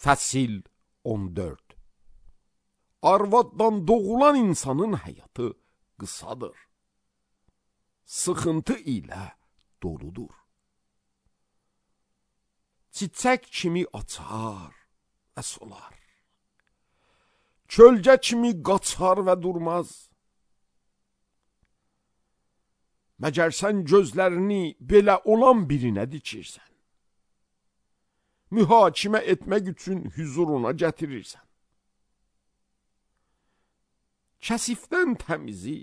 Fəsil 14. Arvaddan doğulan insanın həyatı qısadır. Sıxıntı ilə doludur. Çiçək kimi açar və solar. Kölgə kimi qaçar və durmaz. Məgər sən gözlərini belə olan birinə dikirsən? Mühakimə etmək üçün hüzuruna gətirirsən. Kəsifdən təmizi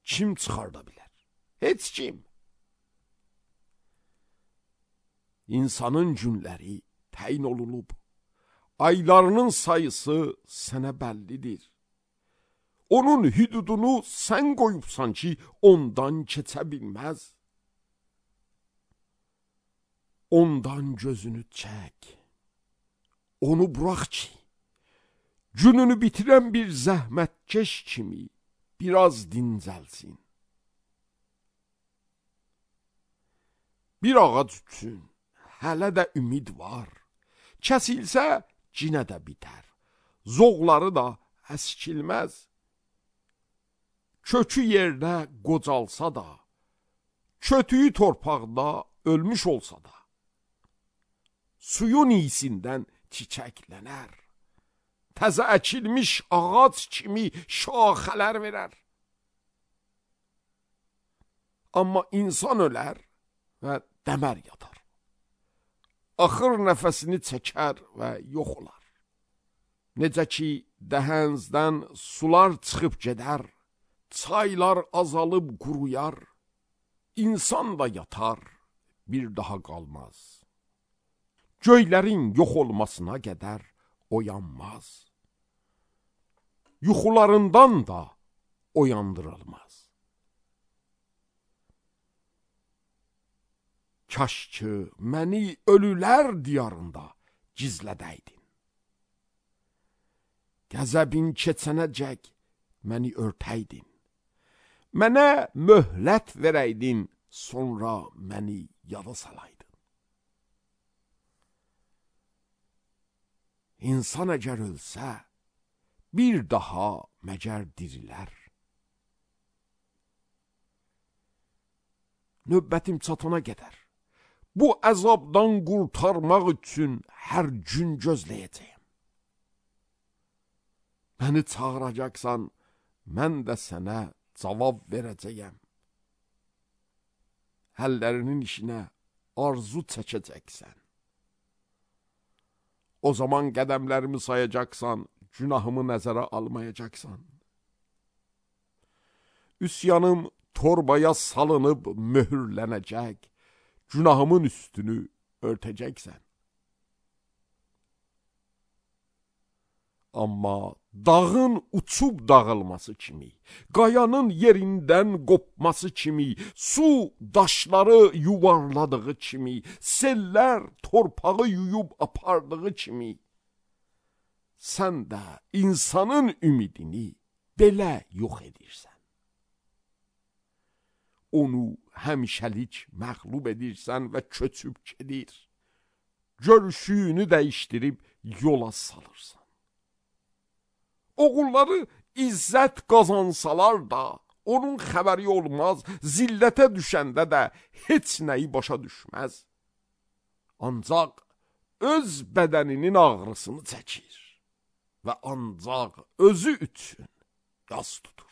kim çıxarda bilər? Heç kim. İnsanın günləri təyin olunub. Aylarının sayısı sənə bəllidir. Onun hüdudunu sən qoyubsan ki, ondan keçə bilməz. Ondan gözünü çək. Onu burax ki, gününü bitirən bir zəhmətkeş kimi biraz dincəlsin. Bir ağac üçün hələ də ümid var. Kəsilsə cinə də bitər. Zoğları da əskilməz. Kökü yerdə qocalsa da, kötüyü torpaqda ölmüş olsa da, suyun iyisindən çiçəklənər. Təzə əkilmiş ağac kimi şaxələr verər. Amma insan ölər və dəmər yatar. Axır nəfəsini çəkər və yox olar. Necə ki, dəhənzdən sular çıxıb gedər, çaylar azalıb quruyar, insan da yatar, bir daha qalmaz. Göylərin yox olmasına qədər oyanmaz. Yuxularından da oyandırılmaz. Kaş ki, məni ölülər diyarında gizlədəydin. Qəzəbin keçənəcək məni örtəydin. Mənə möhlət verəydin, sonra məni yada salaydın. İnsan əgər ölsə, bir daha məgər dirilər. Növbətim çatana qədər, bu əzabdan qurtarmaq üçün hər gün gözləyəcəyəm. Məni çağıracaqsan, mən də sənə cavab verəcəyəm. Əllərinin işinə arzu çəkəcəksən. O zaman qədəmlərimi sayacaqsan, günahımı nəzərə almayacaqsan. Üsyanım torbaya salınıb möhürlənəcək, günahımın üstünü örtəcəksən. Amma dağın uçub dağılması kimi, qayanın yerindən qopması kimi, su daşları yuvarladığı kimi, sellər torpağı yuyub apardığı kimi, sən də insanın ümidini belə yox edirsən. Onu həmişəlik məğlub edirsən və köçüb gedir. Görüşünü dəyişdirib yola salırsan. Oğulları izzət qazansalar da, onun xəbəri olmaz, zillətə düşəndə də heç nəyi başa düşməz. Ancaq öz bədəninin ağrısını çəkir və ancaq özü üçün yas tutur.